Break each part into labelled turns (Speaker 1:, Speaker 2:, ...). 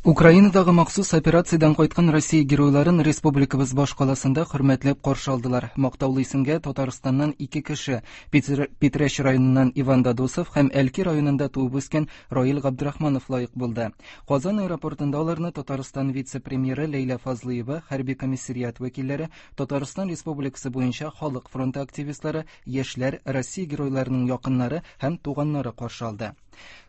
Speaker 1: Украинадагы махсус операциядән кайткан Россия геройларын республикабыз башкаласында хөрмәтләп каршы алдылар. Мактаулы исемгә Татарстаннан ике кеше, Питрәч районыннан Иван Дадосов һәм Әлки районында туып үскән Раил Габдрахманов лаек булды. Казан аэропортында аларны Татарстан вице-премьеры Ләйлә Фазлыева, хәрби комиссариат вәкилләре, Татарстан Республикасы буенча Халык фронты активистлары, яшьләр, Россия геройларының якыннары һәм туганнары каршы алды.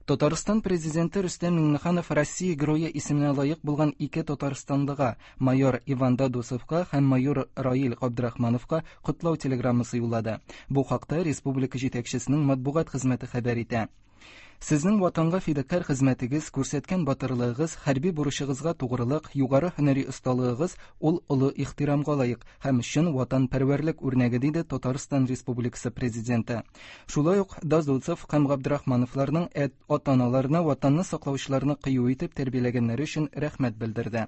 Speaker 1: Татарстан президенты Рөстәм Миңнеханов Россия герое исеменә лаек булган ике татарстанлыга, майор Иван Дадусовка һәм майор Раил Габдрахмановка котлау телеграммасы юллады. Бу хакта республика җитәкчесенең матбугат хезмәте хәбәр итә. Сезнең ватанга фидакарь хезмәтегез, күрсәткән батырлыгыгыз, хәрби бурычыгызга тугрылык, югары һөнәри осталыгыгыз ул олы ихтирамга лаек һәм чын ватанпәрвәрлек үрнәге, диде Татарстан Республикасы Президенты. Шулай ук Дазуцев һәм Габдрахмановларның ата-аналарына ватанны саклаучыларны кыю итеп тәрбияләгәннәре өчен рәхмәт белдерде.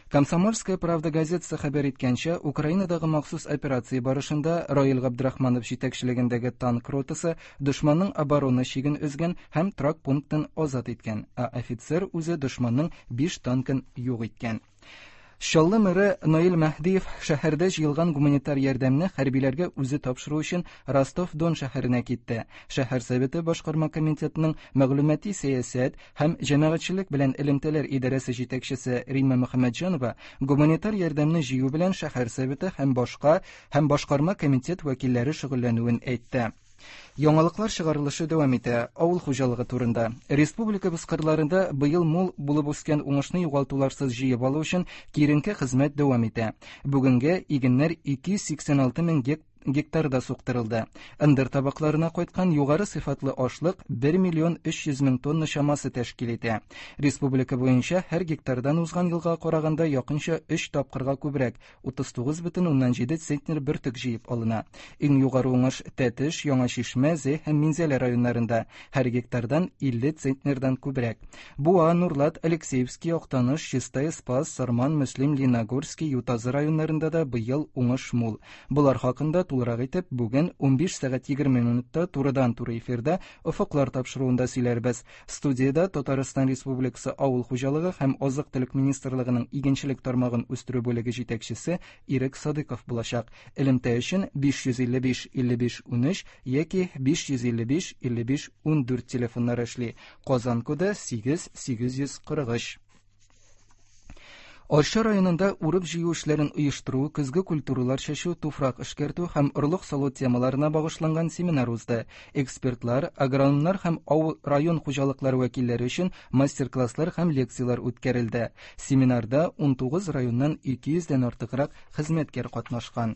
Speaker 1: Комсомольская правда газетасы хәбәр иткәнчә, Украинадагы махсус операция барышында Раил Габдрахманов җитәкчелегендәге танк ротасы дошманның оборона чиген өзгән һәм торак пунктын азат иткән, ә офицер үзе дошманның 5 танкын юк иткән. Чаллы мэры Наил Мәһдиев шәһәрдә җыелган гуманитар ярдәмне хәрбиләргә үзе тапшыру өчен Ростов-Дон шәһәренә китте. Шәһәр советы башкарма комитетының мәгълүмати сәясәт һәм җәмәгатьчелек белән элемтәләр идарәсе җитәкчесе Римма Мөхәммәтҗанова гуманитар ярдәмне җыю белән шәһәр советы һәм башка һәм башкарма комитет вәкилләре шөгыльләнүен әйтте. Яңалыклар чыгарылышы дәвам итә. Авыл хуҗалыгы турында. Республикабыз кырларында быел мул булып үскән уңышны югалтуларсыз җыеп алу өчен киеренке хезмәт дәвам итә. Бүгенгә игеннәр 286 мең гектарда суктырылды. Ындыр табакларына кайткан югары сыйфатлы ашлык 1 миллион 300 мең тонна чамасы тәшкил итә. Республика буенча һәр гектардан узган елга караганда якынча 3 тапкырга күбрәк, 39,7 центнер бөртек җыеп алына. Иң югары уңыш Тәтеш, Яңа Чишмә, Зәй һәм Минзәлә районнарында, һәр гектардан 50 центнердан күбрәк. Буа, Нурлат, Алексеевский, Актаныш, Чистай, Спас, Сарман, Мөслим, Лениногорский, Ютазы районнарында да быел уңыш мул. Болар хакында тулырак итеп бүген 15 сәгать 20 минутта турыдан-туры эфирда Офыклар тапшыруында сөйләрбез. Студиядә Татарстан Республикасы Авыл хуҗалыгы һәм азык-төлек министрлыгының игенчелек тармагын үстерү бүлеге җитәкчесе Ирек Садыйков булачак. Элемтә өчен 555 55 13 яки 555 55 14 телефоннары эшли. Казан коды 8 843. Арча районында урып-җыю эшләрен оештыру, көзге культуралар чәчү, туфрак эшкәртү һәм орлык салу темаларына багышланган семинар узды. Экспертлар, агрономнар һәм авыл район хуҗалыклары вәкилләре өчен мастер-класслар һәм лекцияләр үткәрелде. Семинарда 19 районнан 200 дән артыграк хезмәткәр катнашкан.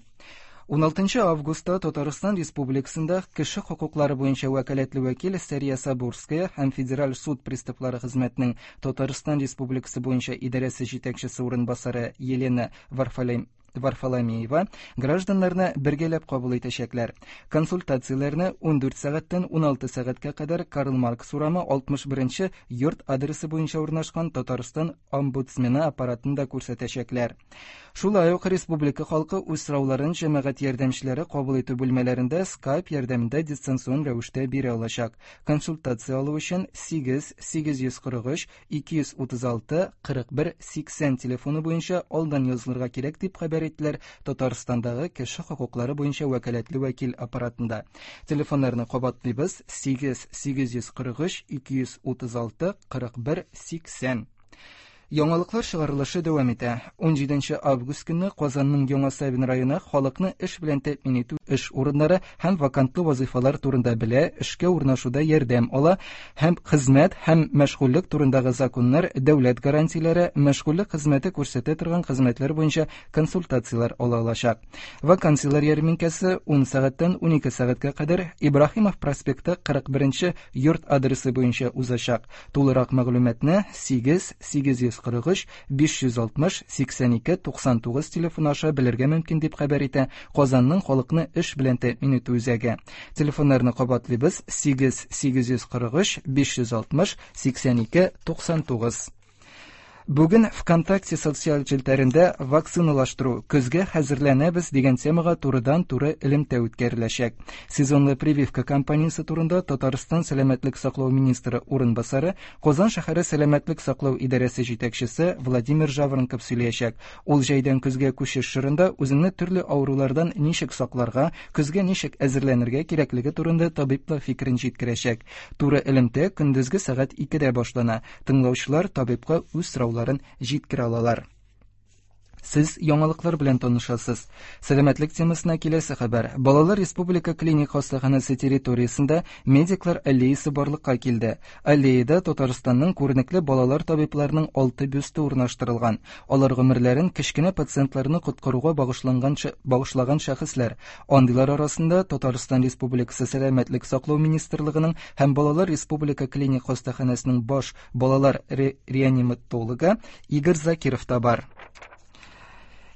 Speaker 1: 16 августта Татарстан Республикасында кеше хокуклары буенча вәкаләтле вәкил Сәрия Сабурская һәм Федераль суд приставлары хезмәтенең Татарстан Республикасы буенча идарәсе җитәкчесе урынбасары Елена Варфоломеева гражданнарны бергәләп кабул итәчәкләр. Консультацияләрне 14 сәгатьтән 16 сәгатькә кадәр Карл Маркс урамы 61 йорт адресы буенча урнашкан Татарстан омбудсмены аппаратында күрсәтәчәкләр. Шулай ук республика халкы үз сорауларын җәмәгать ярдәмчеләре кабул итү бүлмәләрендә Skype ярдәмендә дистанцион рәвештә бирә алачак. Консультация алу өчен 8 843 236 41 80 телефоны буенча алдан язылырга кирәк, дип хәбәр иттеләр Татарстандагы кеше хокуклары буенча вәкаләтле вәкил аппаратында. Телефоннарны кабатлыйбыз: 8 843 236 41 80. Яңалыклар чыгарылышы дәвам итә. 17 август көнне Казанның Яңа Савин районы халыкны эш белән тәэмин итү эш урыннары һәм вакантлы вазыйфалар турында белә, эшкә урнашуда ярдәм ала һәм хезмәт һәм мәшгульлек турындагы законнар, дәүләт гарантияләре, мәшгульлек хезмәте күрсәтә торган хезмәтләр буенча консультацияләр ала алачак. Вакансияләр ярминкәсе 10 сәгатьтән 12 сәгатькә кадәр Ибраһимов проспекты 41 йорт адресы буенча узачак. Тулырак мәгълүматны 8 843 560 82 99 телефоны аша белергә мөмкин, дип хәбәр итә Казанның халыкны эш белән тәэмин итү үзәге. Телефоннарны кабатлыйбыз: 8 843 560 82 99. Бүген ВКонтакте социаль челтәрендә вакциналаштыру, көзгә хәзерләнәбез дигән темага турыдан-туры элемтә үткәреләчәк. Сезонлы прививка кампаниясе турында Татарстан сәламәтлек саклау министры урынбасары, Казан шәһәре сәламәтлек саклау идарәсе җитәкчесе Владимир Жаворонков сөйләячәк. Ул җәйдән көзгә күчеш чорында үзеңне төрле авырулардан ничек сакларга, көзгә ничек әзерләнергә кирәклеге турында табиблар фикерен җиткерәчәк. Туры элемтә көндезге сәгать 2-дә башлана. Тыңлаучылар табибка үз сорауларын җиткерә алалар. Сез яңалыклар белән танышасыз. Сәламәтлек темасына киләсе хәбәр. Балалар республика клиник хастаханәсе территориясендә медиклар аллеясы барлыкка килде. Аллеяда Татарстанның күренекле балалар табибларының 6 бюсты урнаштырылган. Алар гомерләрен кечкенә пациентларны коткаруга багышланган багышлаган шәхесләр. Андыйлар арасында Татарстан Республикасы Сәламәтлек саклау министрлыгының һәм Балалар республика клиник хастаханәсенең баш балалар ре реаниматологы Игорь Закиров та бар.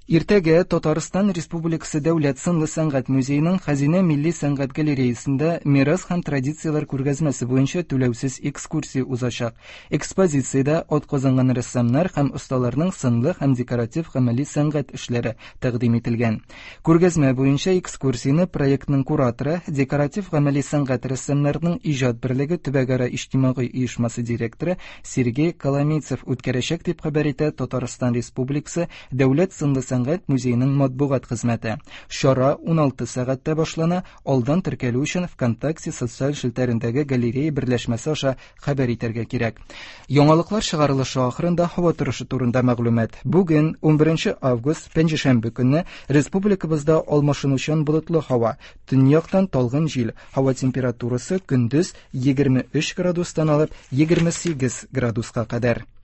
Speaker 1: Иртәгә Татарстан Республикасы Дәүләт сынлы сәнгать музееның Хәзинә милли сәнгать галереясында Мирас һәм традицияләр күргәзмәсе буенча түләүсез экскурсия узачак. Экспозициядә атказанган рәссамнар һәм осталарның сынлы һәм декоратив гамәли сәнгать эшләре тәкъдим ителгән. Күргәзмә буенча экскурсияне проектның кураторы, декоратив гамәли сәнгать рәссамнарының иҗат берлеге төбәкара иҗтимагый оешмасы директоры Сергей Коломейцев үткәрәчәк, дип хәбәр итә Татарстан Республикасы Дәүләт сынлы сәнгать музееның матбугат хезмәте. Чара 16 сәгатьтә башлана, алдан теркәлү өчен ВКонтакте социаль челтәрендәге галерея берләшмәсе аша хәбәр итәргә кирәк. Яңалыклар чыгарылышы ахырында һава торышы турында мәгълүмат. Бүген, 11 август, пәнҗешәмбе көнне республикабызда алмашынучан болытлы һава, төньяктан талгын җил, һава температурасы көндез 23 градустан алып 28 градуска кадәр.